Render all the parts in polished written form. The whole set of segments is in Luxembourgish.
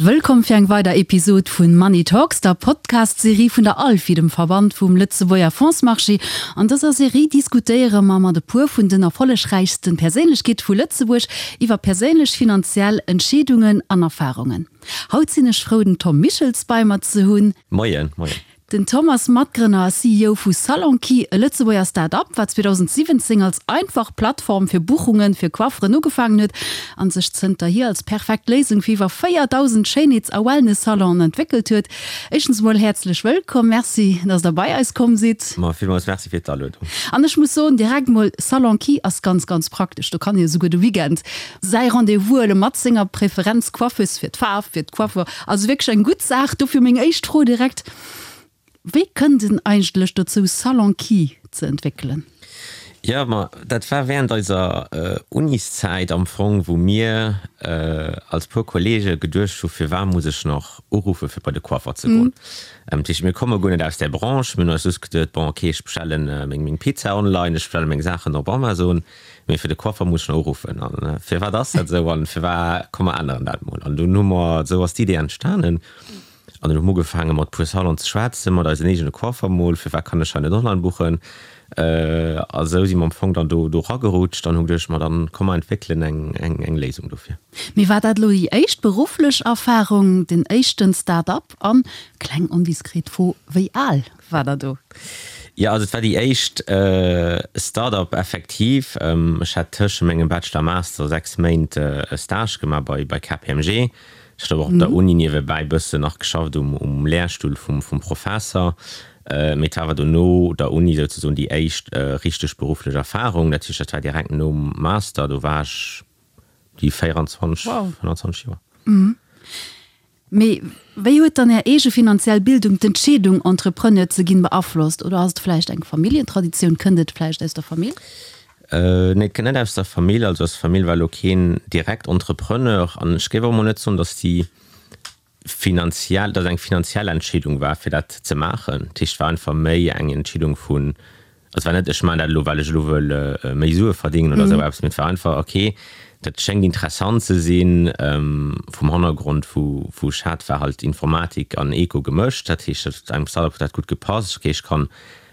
Wëllkomm fir eng weider Episod vun Money Talks, der Podcast-Serie vun der ALFI, dem Verband vum Lëtzebuerger Fondsmarché. An dëser Serie diskutéiere mer mat e puer vun den erfollegräichsten Perséinlechkeete vu Lëtzebuerg iwwer perséinlech finanziell Entscheedungen an Erfarungen. Haut sinn ech frou den Tom Michels bei mer ze hunn. Moien, moien. Den Tom ass Matgrënner a CEO vu Salonkey, e Lëtzebuerger Start-up, wat 2017 als einfach Plattform fir Buchunge fir Coifferen ugefaangen huet an sech zënterhier als perfekt Léisung fir iwwer 4.000 Schéinheets a Wellness-Salonen entwéckelt huet. Éischtens emol häerzlech wëllkomm, Merci, dass der bei eis komm sidd. Ma villmools Merci fir d'Aluedung. An ech muss soen, direkt mol, Salonkey ass ganz, ganz praktesch. Do kann ee esouguer de Weekend säi Rendez-vous huele mat senger Preferenz-Coiffeuse fir d'Faarf, fir d'Coiffure. Also wierklech eng gutt Saach. Dofir meng éischt Fro direkt, Wéi kënnt en eigentlech dozou Salon Key ze entwéckelen? Jo, ma dat war während eiser Uniszäit am Fong, wou mir als puer Kollege geduecht hu, firwat muss ech nach uruffe fir bei de Coiffer ze goen? Dat heescht, mir komme guer net aus där Branche, mir hunn eis just geduet, bon ok, ech bestellen meng Pizza online, ech bestelle meng Saachen op Amazon, Mee fir de Coiffer muss ech nach uruffen. An firwat ass dat esou? An firwat, komm mer änneren dat mol. An dunn hu mer, esou ass d'Idee entstanen. An dunn hu mer ugefaange mat puer Salonen ze schwätzen, mat eisen eegene Coiffer mol, firwat kann ech hei net online buchen? A sou si mer am Fong dann do do eragerutscht an hu geduecht, ma dann komm mer entwéckelen eng eng eng Léisung dofir. Mee war dat elo déi éischt berufflech Erfarung, den éischten Start-up? An, kleng ondiskret Fro, wéi al War der do? Jo, also et war déi éischt Start-up effektiv. Ech hat tësche mengem Bachelor a Master 6 Méint e Stage gemaach bei bei KPMG. Ech hat awer och op der Uni niewebäi bëssen nach geschafft um um Lehrstuhl vum vum Professer. Mee et war awer dono der Uni souzesoen déi éischt richteg berufflech Erfarung. Dat heescht, dat war direkt nom Master, do war ech déi 24, 25 Joer. Mee wéi huet dann Är eege finanziell Bildung d'Entscheedung, Entrepreneur ze ginn, beaflosst? Oder ass et vläicht eng Familljentraditioun? Kënnt et vläicht aus der Famill? Nee, et kënnt net aus der Famill. Also aus der Famill war elo keen direkt Entrepreneur. An ech géif och emol net soen, datt déi finanziell, datt et eng finanziell Entscheedung war, fir dat ze maachen. Dat heescht, et war einfach méi eng Entscheedung vun, Et war net, ech maachen dat elo, well ech elo wëll méi Sue verdéngen oder esou eppes, mee et war einfach, ok, dat schéngt interessant ze sinn. Vum Hannergrond, wou wou ech hat, war halt Informatik an Eco gemëscht. Dat heescht, dat engem Startup huet dat gutt gepasst. Ok, ech kann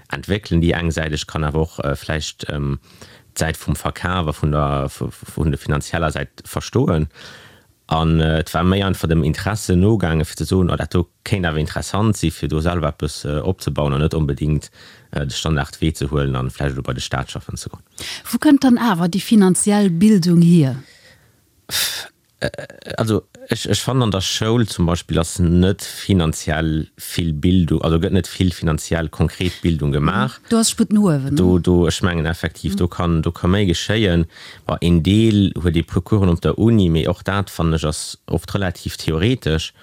entwéckelen déi eng Säit, ech kann awer och vläicht d'Säit vum Verkaf a vun der vun der finanzieller Säit verstoen. An et war méi einfach dem Interesse nogaangen, fir ze soen, oh dat do kéint awer interessant si fir do selwer eppes opzebauen an net onbedéngt de Standardwee ze huelen an vläicht elo bei de Staat schaffen ze goen. Wou kënnt dann awer déi finanziell Bildung hier? Also ech ech fannen an der Schoul zum Beispill ass net finanziell vill Bildung, also gëtt net vill finanziell konkret Bildung gemaach. Do ass Sputt no uewen. Do do ech mengen effektiv do kann do ka méi geschéien. Bon, een Deel huet ee puer Coursen op der Uni, mee och dat, fannen ech, ass oft relativ theoretesch.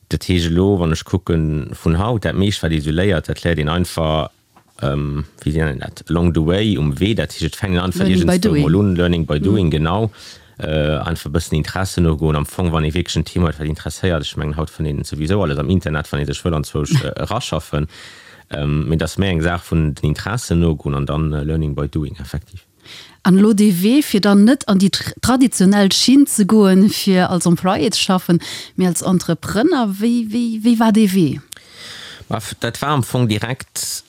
Dat heescht elo, wann ech kucke vun haut, dat meescht wat ee sou léiert, dat léiert een einfach, wéi nennt een dat, along the way, um Wee. Dat heescht, et fänkt een einfach Learning by iergendswou doing. mol un, learning by doing, genau. Einfach e bëssen Interessen nogoen. Am Fong, wann ee wierklech en Thema huet, wat interesséiert, ech mengen, haut fënnt een souwisou alles am Internet, wann ee sech wëll anzwousch eraschaffen. Mee et ass méi eng Saach vun den Interessen nogoen an dann learning by doing, effektiv. An elo dee Wee, fir dann net an déi traditionell Schinn ze goen, fir als Employé ze schaffen, mee als Entrepreneur, wéi, wéi, wéi war dee Wee? Ma dat war am Fong direkt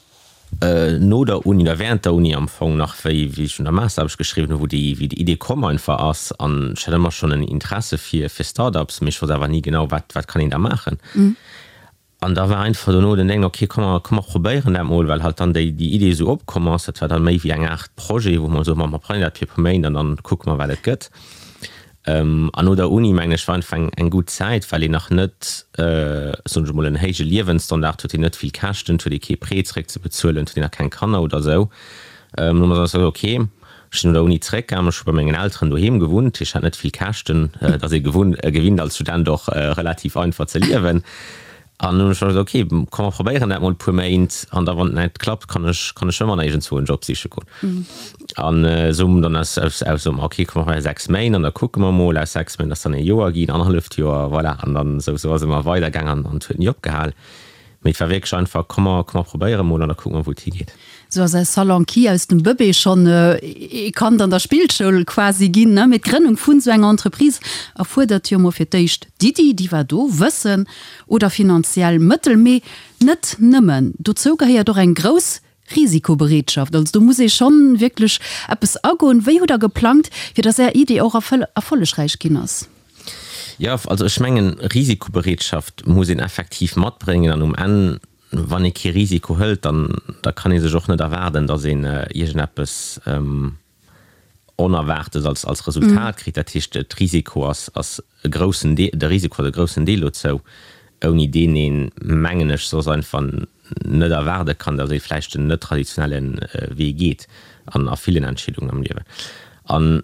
no der Uni oder während der Uni am Fong nach, wéi, wéi ech un der Masteraarbecht geschriwwen hu, wou déi, wéi déi Idee komm einfach ass. An ech hat ëmmer schonn en Interesse fir, fir Start-ups, mee ech wosst awer ni genau, wat, wat kann een da maachen. An da war einfach dono den Deng, ok, komm mer, komm mer probéieren dat mol, well halt dann déi, déi Idee esou opkomm ass. Dat war dann méi wéi eng Aart Projet, wou mer soen, ma mer probéieren dat fir e puer Méint an dann kucke mer, wat et gëtt. An no der Uni, mengen ech, war einfach eng, eng gutt Zäit, well een nach net, soen ech emol, en héije Liewensstandard huet, een net vill Käschten, et huet ee kee Prêt zeréckzebezuelen, et huet een nach keng Kanner oder esou. Hu mer gesot, ok, ech sinn no der Uni zeréckgaangen, ech hu bei mengen Elteren doheem gewunnt, ech hat net vill Käschten, et ass ee gewunn, gewinnt als Student och relativ einfach ze liewen. An hunn ech gesot, ok, komm mer probéieren dat mol e puer Méint an da wann et net klappt, kann ech, kann ech ëmmer nach iergendzwou en Job siche goen. An esou hu mer dann aus, aus, aus soe mer, ok, komm mer maache 6 Méint an da kucke mer mol, aus 6 Méint ass dann ee Joer ginn, annerhalleft Joer, voilà, an dann esou, esou ass et ëmmer weidergaangen an et huet ni opgehal. Mee et war wierklech einfach, komm mer, komm mer probéiere mol an da kucke mer, wou et higeet. Sou ass aus Salonki, aus dem Bëbee schonn ee Kand an der Spillschoul quasi ginn, ne? Mee d'Grënnung vun sou enger Entreprise erfuerdert jo mol fir d'éischt d'Iddi, déi war do, Wëssen oder finanziell Mëttel, mee net nëmmen. Dozou gehéiert och eng grouss Risikobereetschaft. Also do muss ee schonn wierklech eppes agoen. Wéi hutt der geplangt, fir datt Är Idee och erfollegräich ginn ass? Jo, also ech mengen, Risikobereetschaft muss een effektiv matbréngen an um Enn, wann ee kee Risiko hëlt, dann da kann ee sech och net erwaarden, datt een iergendeppes Onerwaartes als als Resultat kritt. Dat heescht, d'Risiko ass ass e groussen Deel, de Risiko ass e groussen Deel dozou, ouni deen een, mengen ech, soss einfach net erwaarde kann, datt ee vläicht en net traditionelle Wee geet an a villen Entscheedungen am Liewen. An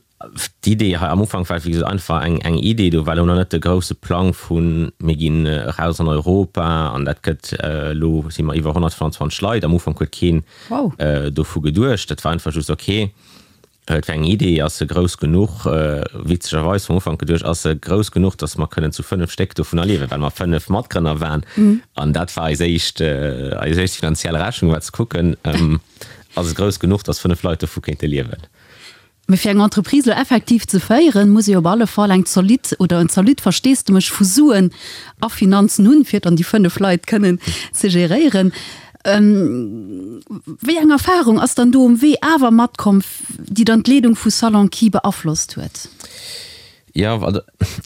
D'Idee hei am Ufank war wéi gesot einfach eng eng Idee, do war elo nach net de grousse Plang vu mir ginn eraus an Europa an dat gëtt, elo si mer iwwer 125 Leit, am Ufank huet keen dovu geduecht, dat war einfach just ok, et war eng Idee, ass se grouss genuch, witzegerweis vum Ufank geduecht, ass se grouss genuch, datt mer kënnen zu 5 Stéck dovunner liewen, well mer 5 Matgrënner waren an dat war eis éischt eis éischt finanziell Rechnung war ze kucken, ass et grouss genuch, datt 5 Leit dovu kéinte liewen. Mee fir eng Entreprise elo effektiv ze féieren, muss ee op alle Fall eng zolidd oder en zolidd Versteesdemech vu Suen a Finanzen hunn, fir dann déi 5 Leit kënnen ze geréieren. Wéi eng Erfahrung ass dann do um Wee awer matkomm, déi dann d'Leedung vu Salon-Ki beaflosst huet? Jo, also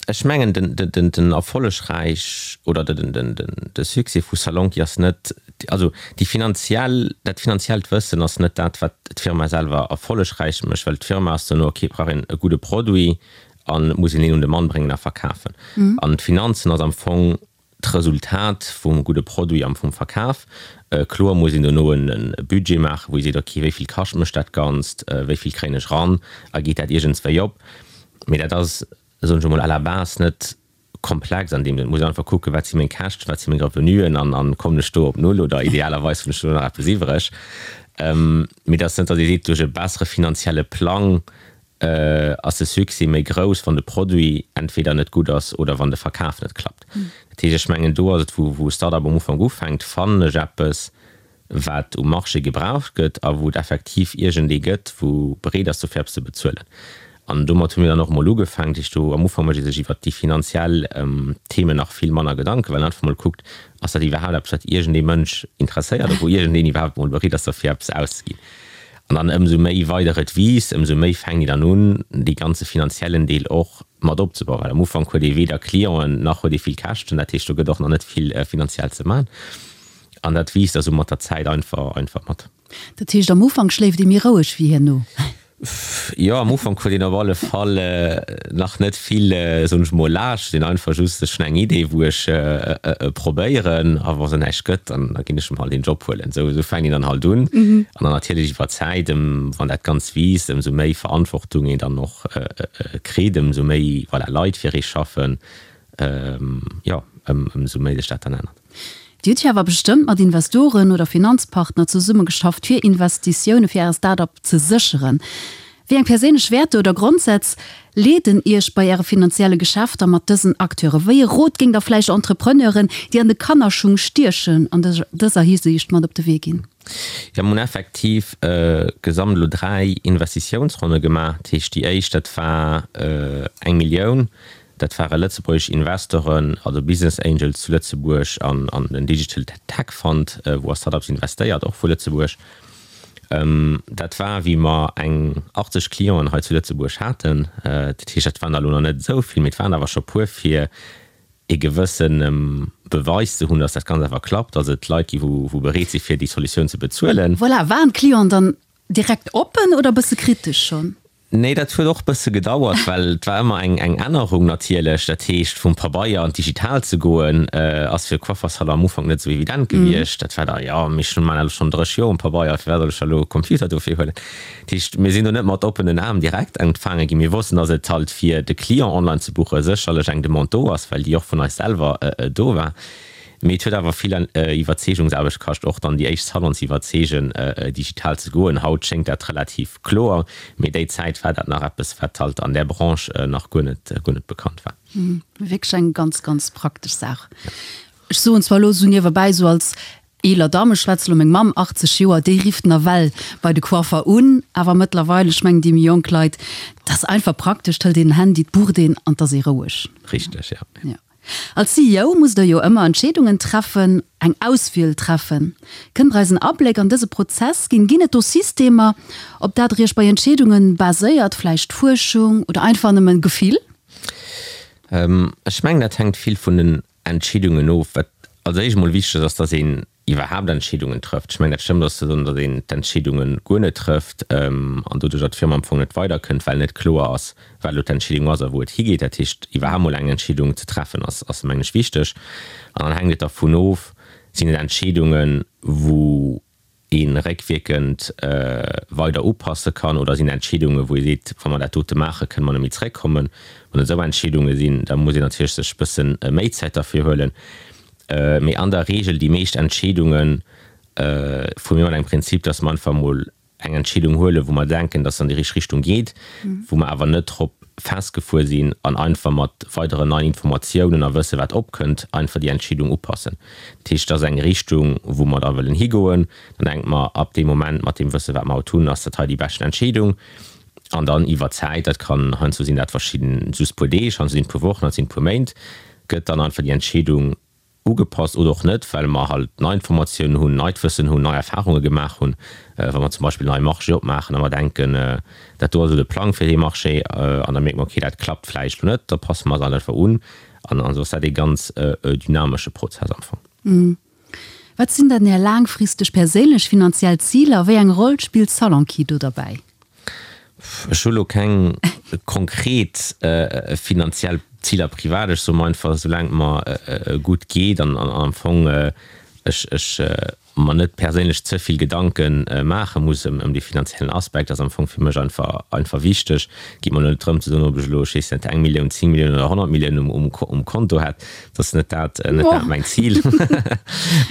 ech mengen den erfollegräich oder de Succès vu Salonki ass net, also déi finanziell, dat finanziellt Wëssen ass net dat, wat d'Firma selwer erfollegräich mécht, well d'Firma ass duerno, ok, et brauch een e gudde Produit an et muss een deen un de Mann bréngen a verkafen. An d'Finanzen ass am Fong d'Resultat vum gudde Produit am vum Verkaf. Kloer muss een dono e Budget maachen, wou ee seet, ok, wéi vill kascht mech dat Ganzt, wéi vill kréien ech eran a geet dat iergendswéi op. Mee dat ass, soen ech emol, à la base net komplex an deem Sënn. Et muss een einfach kucken, wat si meng Käschten, wat si meng Revenuen an a kommen ech do op Null oder idealerweis hunn ech dono nach eppes iwwreg. Mee et ass net, datt ee seet, duerch e bessere finanzielle Plang ass de Succès méi grouss, wann de Produit entweder net gutt ass oder wann de Verkaf net klappt. Dat heescht, ech mengen, do ass et, wou wou e Start-up am Ufank ufänkt, fannen ech eppes, wat um Marché gebraucht gëtt a wou et effektiv iergendee gëtt, wou bereet ass, dofir eppes ze bezuelen. An domat hu mir dann och emol ugefaangen. Dat heescht, do am Ufank mécht ee sech iwwert déi finanziell Themen nach vill manner Gedanken, well een einfach emol kuckt, ass dat iwwerhaapt eppes, wat iergendee Mënsch interesséiert a wou iergendeen iwwerhaapt emol bereet ass, derfir eppes auszeginn. An dann ëmsou méi weider et wiisst, ëmsou méi fänkt een dann un, dee ganze finanziellen Deel och mat opzebauen. Well am Ufank huet ee weder Clienten, nach huet ee vill Käschten. Dat heescht, do gëtt och nach net vill finanziell ze man. An dat wiisst da sou mat der Zäit einfach, einfach mat. Dat heescht, am Ufank schléift ee méi roueg wéi herno? Jo, am Ufank huet een op alle Fall nach net vill, soen ech mol, Laascht. Et sinn einfach just, ech hunn eng Idee, wou ech e probéieren a wa se näischt gëtt, dann da ginn ech em halt een Job huelen. Esou esou fänkt een dann halt un. An dann natierlech iwwer d'Zäit, ëm wann dat Ganzt wiisst, ëmsou méi Verantwortung een dann och kritt, ëmsou méi, voilà, Leit fir ee schaffen, jo, ëmsou méi sech dat dann ännert. Dir hutt jo awer bestëmmt mat Investoren oder Finanzpartner zesummegeschafft, fir Investitioune fir Äre Start-up ze sécheren. Wéi eng perséinlech Wäerter oder Grondsätz leeden Iech bei Äre finanzielle Geschäfter mat dësen Acteure? Wéi e Rot géingt Der vläicht Entrepreneuren, déi an de Kannerschung stiechen, an dëser Hisiicht mat op de Wee ginn? Jo, mir hunn effektiv gesamt elo 3 Investitiounsronne gemaach. Dat heescht, déi éischt, dat war eng Millioun. Dat ware lëtzebuergesch Investoren, also Business Angels zu Lëtzebuerg an an den Digital Tech Fund, wou a Startups investéiert, och vu Lëtzebuerg. Dat war, wéi mer eng 80 Clienten hei zu Lëtzebuerg haten. Dat heescht, dat waren der elo nach net esou vill, mee et waren awer scho puer, fir e gewësse Beweis ze hunn, datt dat Ganzt awer klappt, datt et Leit gi wou bereet si fir déi Solutioun ze bezuelen. Voilà, waren d'Clienten dann direkt oppen oder e bësse kritesch schonn? Nee, dat huet och bësse gedauert, well et war ëmmer eng eng Ännerung natierlech. Dat heescht, vum Pabeier an d'Digital ze goen, ass fir e Coiffersalon am Ufank net esou evident gewiescht. Dat war da, jo, mee ech maan elo schonn 30 Joer um Pabeier, firwat soll ech da elo e Computer dofir huelen? Dat heescht, mir sinn do net mat oppenen Aarm direkt empfaange ginn. Mir wossten, datt et halt fir de Client online ze buche sécherlech eng Demande do ass, well déi och vun eis selwer do war. Mee et huet awer vill Iwwerzeegungsaarbecht kascht, och dann déi éischt Salon ze iwwerzeegen, digital ze goen. Haut schéngt dat relativ kloer, mee déi Zäit war dat nach eppes, wat halt an där Branche nach guer net, guer net bekannt war. Wierklech eng ganz, ganz praktesch Saach. Ech soen zwar elo esou niewebäi, esou als eeler Damm, ech schwätze elo meng Mamm, 80 Joer, déi rifft nawell bei de Coiffer un, awer mëttlerweil, ech mengen déi méi jonk Leit, 't ass einfach praktesch, 't hëlt een den Handy, 't bucht een an 't ass ee roueg. Richteg, ja. Ja. Als CEO musst Der jo ëmmer Entscheedungen treffen, eng Auswiel treffen. Kënnt Der eis en Abléck an dëse Prozess ginn? Ginn et do Systemer, op dat Der Iech bei Entscheedungen baséiert, vläicht Fuerschung oder einfach nëmmen Gefill? Ech mengen, dat hänkt vill vun den Entscheedungen of. Wat als éischt emol wichteg ass, ass, dass een iwwerhaapt Entscheedungen trëfft. Ech mengen, dat Schlëmmst ass ze soen, datt een d'Entscheedunge guer net trëfft an doduercher d'Firma am Fong net weiderkënnt, well net kloer ass, wat elo d'Entscheedung ass a wou et higeet. Dat heescht, iwwerhaapt mol eng Entscheedung ze treffen, ass, ass mengen ech, wichteg. An dann hänkt et dervun of, sinn et Entscheedungen, wou ee réckwierkend weider upasse kann oder sinn Entscheedungen, wou ee seet, wa mer dat dote maachen, kënne mer net méi zréckkommen. Wann et esou Entscheedunge sinn, da muss een natierlech sech e bësse méi Zäit derfir huelen. Mee an der Regel déi meescht Entscheedunge fuere mir mat engem Prinzip, dass mer einfach emol eng Entscheedung huelen, wou mer denken, dass se an déi richteg Richtung geet, wou mer awer net drop festgefuer sinn an einfach mat weideren neien Informatiounen a Wësse wat opkënnt, einfach déi Entscheedung upassen. Dat heescht, et ass eng Richtung, wou mer da wëllen higoen. Dann denke mer, ab deem Moment, mat deem Wësse wat mer haut hunn, ass dat hei déi beschten Entscheedung. An dann iwwer Zäit, dat kann heiansdo sinn dat verschidden, just puer Deeg, heiansdo sinn et puer Wochen, heiansdo sinn et puer Méint, gëtt dann einfach déi Entscheedung ugepasst oder och net, well mer halt nei Informatiounen hunn, neit Wëssen hunn, nei Erfarunge gemaach hunn. Wa mer zum Beispill en neie Marché opmaachen a mer denken, dat do ass elo de Plang fir dee Marché, an da mierke mer, okay, dat klappt vläicht elo net, da passe mer eis halt einfach un. An esou ass dat ee ganz dynamesche Prozess am Fong. Wat sinn dann Är laangfristeg perséinlech finanziell Ziler a wéi eng Roll spillt Salonki do derbäi? Ech hu lo keng konkret finanziell Ziler privat. Ech soe mer einfach, soulaang et mer gutt geet an am Fong ech ech mer net perséinlech ze vill Gedanke maache muss ëm dee finanziellen Aspekt, ass am Fong fir mech einfach einfach wichteg. Et geet mer elo net drëm ze soen, ob ech elo, ech weess net, eng Millioun, 10 Milliounen oder 100 Milliounen um Konto hätt. Dat ass net dat, net dat mäin Zil.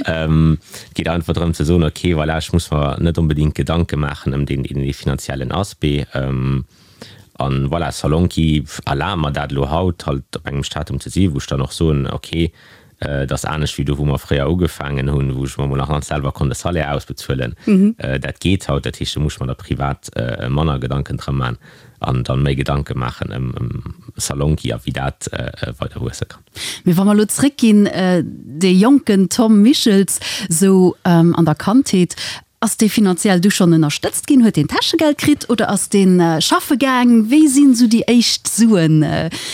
Et geet einfach drëm ze soen, okay, voilà, ech muss mer net onbedéngt Gedanke maachen ëm deen, deen finanziellen Aspect. An voilà, Salonki erlaabt mer dat elo haut halt op engem Statum ze si wou ech dann och soen, okay, et ass anescht wéi do wou mer fréier ugefaangen hunn, wou ech mer emol nach ganz selwer konnt e Salaire ausbezuelen. Dat geet haut, dat heescht do muss ech mer da privat manner Gedanken drëm man an dann méi Gedanke maachen ëm Salonki a wéi dat weider wuesse kann. Mee wa mer elo zréckginn, dee jonken Tom Michels, sou an der Kandheet, ass dee finanziell du schonn ënnerstëtzt ginn? Huet deen Täschegeld kritt oder ass dee schaffe gaang? Wéi sinn sou déi éischt Suen?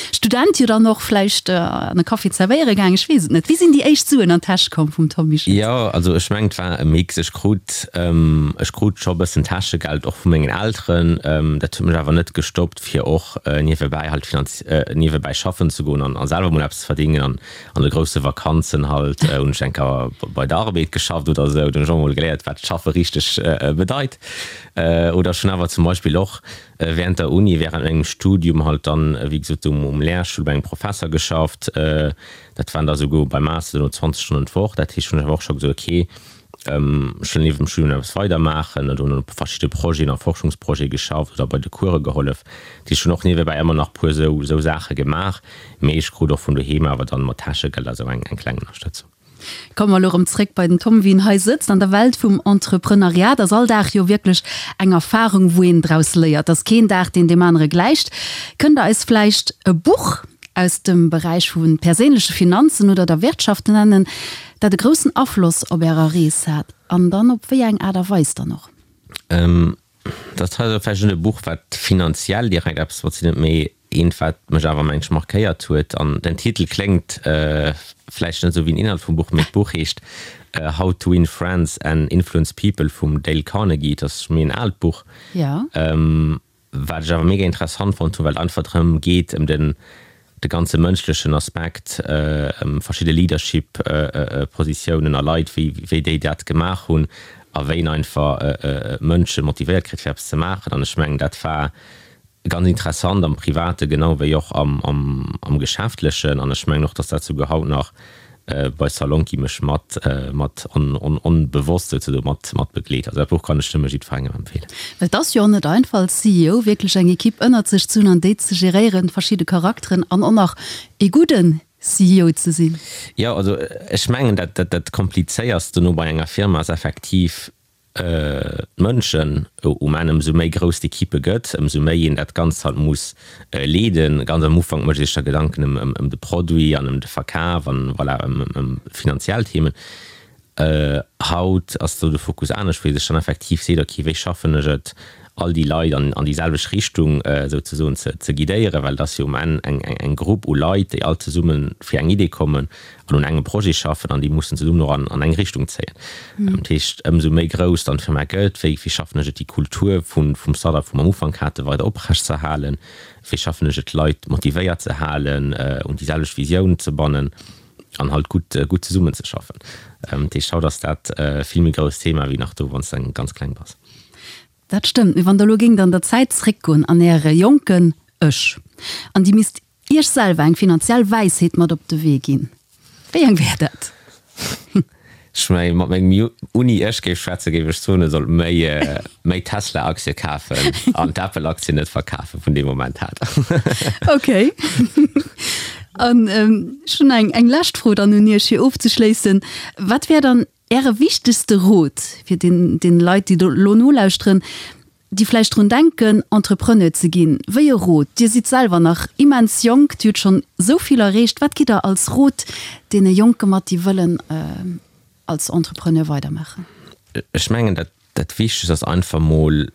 Student jo dann och vläicht an e Café zerwéiere gaang, ech weess et net. Wéi sinn déi éischt Suen an d'Täsch komm vum Tom Michels? Jo, also ech mengen et war e Mix. Ech krut, ech krut scho e bëssen Täschegeld och vu mengen Elteren. Dat huet mech awer net gestoppt fir och niewebäi halt finanz niewebäi schaffen ze goen an selwer mol eppes ze verdingen an an de grousse Vakanzen halt hunn ech eng Kéier bei der Arbed geschafft oder esou, do hunn ech och mol geléiert wat schaffe richteg bedeit. Oder ech hunn awer zum Beispill och während der Uni, während mengem Studium halt dann wéi gesot um um Lehrstuhl bei engem Professer geschafft, dat waren da souguer beim Master duerno 20 Stonnen d'Woch, dat heescht hunn ech awer och scho gesot okay, Ech wëll nieft dem Studium nach eppes weider maachen an hunn op verschidde Projeten a Forschungsprojete geschafft oder bei de Course gehollef. Dat heescht, ech hunn och niewebäi ëmmer nach puer esou esou Saache gemaach, mee ech krut och vun doheem awer dann mat Täschegeld a sou eng eng kleng Ënnerstëtzung. Komme mer elo erëm zréck bei den Tom, wéi en hei sëtzt. An der Welt vum Entreprenariat ass all Dag jo wierklech eng Erfarung, wou een draus léiert. Et ass keen Dag, deen deem anere gläicht. Kënnt Der eis vläicht e Buch aus dem Beräich vu perséinleche Finanzen oder der Wirtschaft nennen, dat e groussen Afloss op Ärer Rees hat an dann op wéi eng Aart a Weis dann och? Dat hei ass vläicht net e Buch, wat finanziell direkt eppes mat ze dinn huet, mee eent, wat mech awer, mengen ech, markéiert huet. An den Titel kléngt vläicht net esou wéi den Inhalt vum Buch, mee d'Buch heescht How to Win Friends and Influence People vum Dale Carnegie. Et ass méi en aalt Buch. Wat ech awer mega interessant fonnt hunn, well et einfach drëm geet, ëm den de ganze mënschlechen Aspekt, ëm verschidde Leadership Positiounen a Leit, wéi wéi déi dat gemaach hunn a wéi een einfach Mënsche motivéiert kritt fir eppes ze maachen. An ech mengen dat war ganz interessant am Private genau wéi och am am Geschäftlechen. An ech mengen och, datt dat souguer haut nach bei Salonki mech mat mat onbewosst souzesoen mat mat begleet. Also dat Buch kann ech nëmme jiddwerengem empfeelen. Well et ass jo och net einfach als CEO wierklech eng Equipe ënnert sech ze hunn an déi ze geréieren, verschidde Charakteren an och nach ee gudden. CEO ze sinn? Jo, also ech mengen dat dat Komplizéierst dono bei enger Firma ass effektiv d'Mënschen. Um Enn, ëmsou méi grouss d'Equipe gëtt, ëmsou méi een dat Ganzt halt muss leeden. Ganz am Ufank mécht ee sech da Gedanken ëm de Produit an ëm de Verkaf an voilà ëm finanziell Themen. Haut ass do de Fokus anescht, wou ee sech dann effektiv seet, ok, wéi schaffen ech et, all déi Leit an déi selwecht Richtung souzesoen ze guidéieren, well et ass jo um Enn eng Grupp u Leit, déi all zesumme fir eng Idee kommen an un engem Projet schaffen an déi mussen zesummen och an eng Richtung zéien. Dat heescht, ëmsou méi grouss dann d'Firma gëtt, wéi schaffen ech et, déi Kultur vum Startup, wou mer am Ufank haten, weider oprechtzeerhalen, wéi schaffen ech et, d'Leit motivéiert ze halen, un déi selwecht Visioun ze bannen. an halt gutt gutt zesummen ze schaffen. Dat heescht haut ass dat vill méi grousst Thema wéi nach do wann s de ganz kleng bass. Dat stëmmt, mee wann der elo géingt an der Zäit zréckgoen an äre jonken Ech an dir misst iech selwer eng finanziell Wäisheet mat op de Wee ginn, wéi eng wär dat? Ech mengen, mat mengem Uni-Ech géif schwätzen, géif ech soen, e sollt méi, méi Tesla-Aktie kafen an d'Apple-Aktien net verkafen vun deem Moment hat. Ok. An ech hunn eng, eng lescht Fro dann un Iech, fir ofzeschléissen. Wat wär dann Äre wichtegste Rot fir den, den Leit, déi do elo nolauschteren, déi vläicht drun denken, Entrepreneur ze ginn? Wéi e Rot? Dir sidd selwer nach immens jonk, Dir hutt schonn esou vill erreecht. Wat gitt Der als Rot deene Jonke mat, déi wëllen als Entrepreneur weidermaachen? Ech mengen, dat, dat Wichtegst ass einfach mol,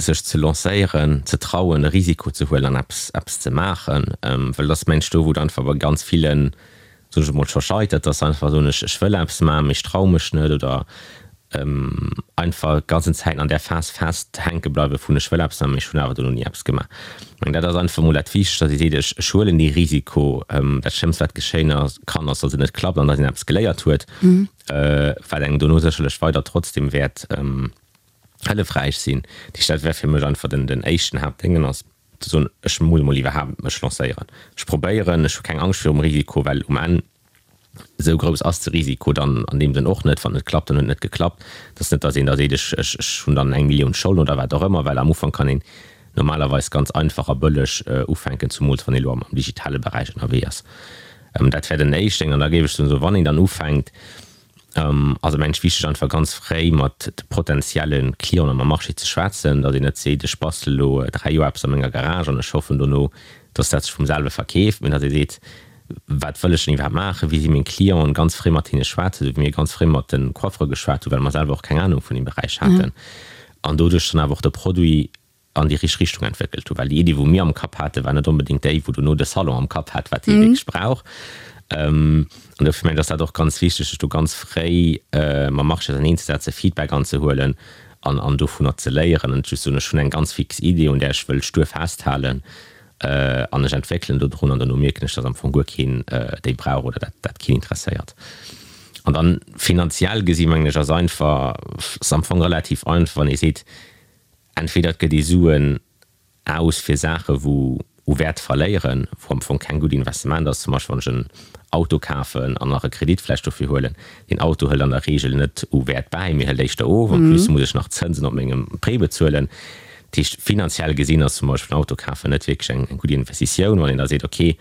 sech ze lancéieren, ze trauen, e Risiko ze huelen an eppes, eppes ze maachen. Well et ass, mengen ech, do, wou et einfach bei ganz villen, soen ech emol, scho scheitert, dass se einfach soen, ech, ech wëll eppes maachen, mee ech traue mech net oder einfach ganzen Zäiten an där Phas fest hänke bleiwe vun ech wëll eppes maachen, mee ech hunn awer dono ni eppes gemaach. Ech mengen, dat ass einfach emol dat Wichtegst, dass ee seet, ech, ech huelen dee Risiko. Dat Schlëmmst, wat geschéien kann, ass, dass et net klappt an dass een eppes geléiert huet, wat engem dono sécherlech weider trotzdem wäert hëllefräich sinn. Dat heescht, dat wär fir mech einfach den, den éischten Haaptdéngen ass ze soen, ech muss emol iwwerhaapt mech lancéieren. Ech probéieren, ech hu keng Angscht virum Risiko, well um Enn esou grouss ass de Risiko dann an deem Sënn och net. Wann et net klappt, dann huet et net geklappt. Et ass net, datt een da seet, ech, ech, ech hunn dann eng Millioun Scholden oder wat och ëmmer, well am Ufank kann een normalerweis ganz einfach a bëlleg ufänken, zumools wann ee elo am digitale Beräich ënnerwee ass. Dat wär den éischten. An da géif ech soen, esou wann een dann ufänkt, Ass et mengen ech wichteg einfach ganz fréi mat de potenzielle Clienten am Marché ze schwätzen, datt een net seet, ech bastele lo 3 Joer eppes a menger Garage an ech hoffen dono, datt dat sech vum selwe verkeeft, mee datt ee seet, wat wëll ech denn iwwerhaapt maachen, wie si meng Clienten, ganz fréi mat hinne schwätzen, esou wéi mir ganz fréi mat de Coiffere geschwat hunn, well mer selwer och keng Anung vun deem Beräich haten an doduerch dann awer och de Produit an déi richteg Richtung entwéckelt hu, well déi Iddi wou mir am Kapp hate war net onbedéngt déi wou dono de Salon am Kapp hat, wat hie wierklech brauch. An dofir mengen ech ass dat och ganz wichteg, sech do ganz fréi mam Marché auserneenzesetzen, Feedback anzehuelen an an dovunner ze léieren an net just soen, ech hunn eng ganz fix Idee un där ech wëll stur festhalen an ech entwéckelen dodrun an dono mierken ech, datt am Fong guer keen déi brauch oder dat dat keen interesséiert. An dann finanziell gesi mengen ech ass einfach, ass am Fong relativ einfach, wann ee seet, Entweder et gëtt ee Suen aus fir Saache wou u Wäert verléieren, wou am Fong keng gutt Investissement ass, zum Beispill wann ech en Auto kafen an nach e Kredit vläicht dofir huelen. Deen Auto hëlt an der Reegel net u Wäert bäi, mee hëlt éischter of. En plus muss ech nach Zënsen op mengem Prêt bezuelen. Dat heescht, finanziell gesinn ass zum Beispill en Auto kafen net wierklech eng gutt Investitioun. Wann een da seet, okay,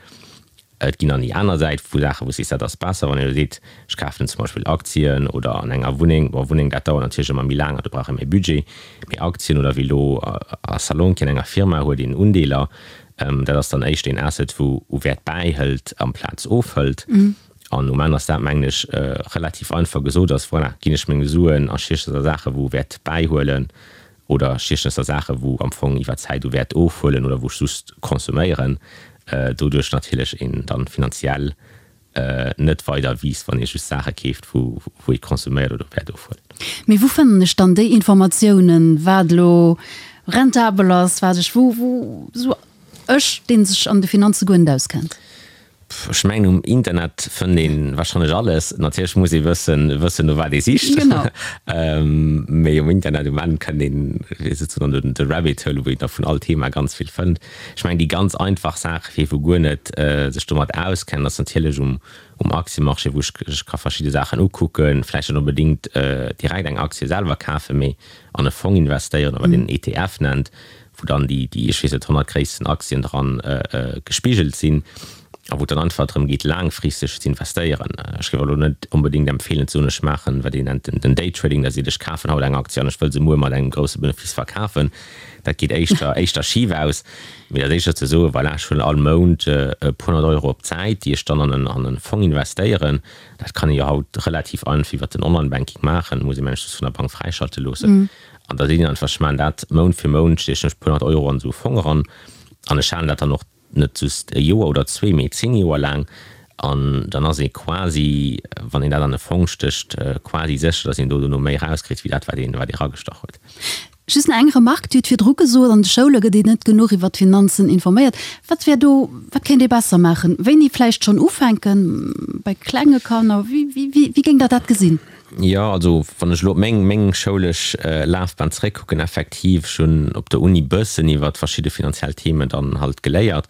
Et ginn dann déi aner Säit vu Saachen, wou s sees, dat ass besser, wann een elo seet, ech kafen zum Beispill Aktien oder an enger Wunneng. Bon, Wunneng, dat dauert natierlech ëmmer méi laang an do brauch ee méi Budget. Mee Aktien oder wéi elo a Salonki an enger Firma huet een Undeeler, dat ass dann éischter een Asset, wou u Wäert bäihëlt amplaz ofhëlt. An um Enn ass dat, mengen ech, relativ einfach gesot, ass, voilà, ginn ech meng Suen a Schierches a Saache wou Wäert bäihuelen oder stiechen ech da Saache wou am Fong iwwer Zäit u Wäert ofhuelen oder wou ech just consomméieren, doduerch natierlech een dann finanziell net weider wiisst, wann ee just Saache keeft wou wou ee consomméiert oder Wäert ofhuelt. Mee wou fannen ech dann déi Informatiounen, wat elo rentabel ass, wat ech wou wou sou ech deen sech an de Finanze guer net auskennt? Ech mengen um Internet fënnt een wahrscheinlech alles. Natierlech muss ee wëssen wëssen no wat ee sicht. Genau. Mee um Internet um Enn kënnt een souzesoen an de Rabbit Hole wou een da vun all Thema ganz vill fënnt. Ech mengen déi ganz einfach Saach fir ee wou guer net sech domat auskennt ass natierlech um um Aktiemarché wou ech ech ka verschidde Saachen ukucken, vläicht net onbedéngt direkt eng Aktie selwer kafen, mee an e Fong investéieren oder wat een en ETF nennt, wou dann déi, déi, ech weess net, 100 gréissten Aktien dran gespigelt sinn. A wou et dann einfach drëm geet, laangfristeg ze investéieren. Ech géif elo net onbedéngt empfeelen ze soen, ech maachen, wat een nennt den Daytrading, dat seet, ech kafen haut eng Aktie an ech wëll se muer mat engem grousse Benefice verkafen. Dat geet éischter, éischter schif aus. Mee dat éischter ze soen, voilà, ech huelen all Mount e puer honnert Euro op d'Säit, déi ech dann an en, an e Fong investéieren. Dat kann ee jo haut relativ einfach iwwert den Online-Banking maachen, muss ee mengen ech just vun der Bank fräischalte loossen. An da seet een einfach, ech maachen dat Mount fir Mount, stiechen ech e puer honnert Euro an esou e Fong eran an ech halen dat dann och net just e Joer oder zwee, mee 10 Joer laang, an dann ass ee quasi, wann een dat an e Fong stécht, quasi sécher, datt een do dono méi erauskritt wéi dat, wat een, wat ee ragestach huet. Just nach eng Remarque, Dir hutt virdru gesot, an de Schoule gëtt een net genuch iwwer d'Finanzen informéiert. Wat wär do, wat kéint ee besser maachen? Wéini vläicht schonn ufänken, bei klenge Kanner? Wéi, wéi, wéi géingt Der dat gesinn? Jo, also wann ech elo op meng meng schoulesch Lafbahn zeréckkucken, effektiv, ech hunn op der Uni bëssen iwwert verschidde finanziell Themen dann halt geléiert,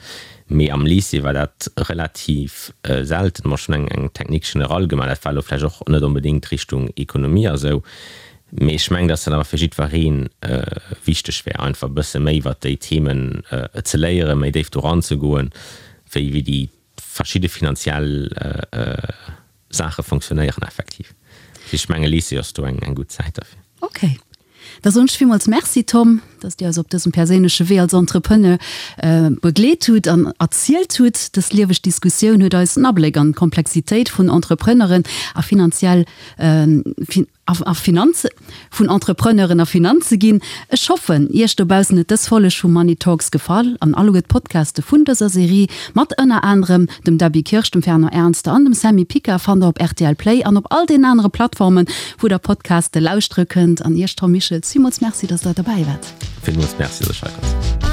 mee am Lycée war dat relativ selten. Mer ech hunn eng eng Technique générale gemaach, dat war elo vläicht och net onbedéngt Richtung Ekonomie a sou, mee ech mengen, dass dat awer fir jiddweree wichteg wär, einfach e bësse méi iwwert déi Themen ze léieren, méi déif do ranzegoen, wéi wéi déi verschidde finanziell Saache fonctionnéieren effektiv. Ech menge Lycée ass do eng gutt Zäit derfir. Ok. Da soen ech villmools Merci Tom, dass Dir eis op dësem perséinleche Wee als Entrepreneur begleet hutt an erzielt hutt. Dës lieweg Diskussioun huet eis en Abléck an d'Komplexitéit vun Entrepreneuren a finanziell a Finanze vun Entrepreneuren a Finanze ginn. Ech hoffen, Iech dobaussen huet dës Folleg vu Money Talks gefall an alleguer d'Podcaste vun dëser Serie mat ënner anerem dem Debbie Kirsch, dem Fernand Ernster an dem Sammy Pica fannt der op rtl Play an op all den anere Plattformen, wou der Podcaste lauschtere kënnt. An Iech, Tom Michels, villmools Merci, dass der dobäi waart. Villmools Merci, dass ech hei konnt sinn.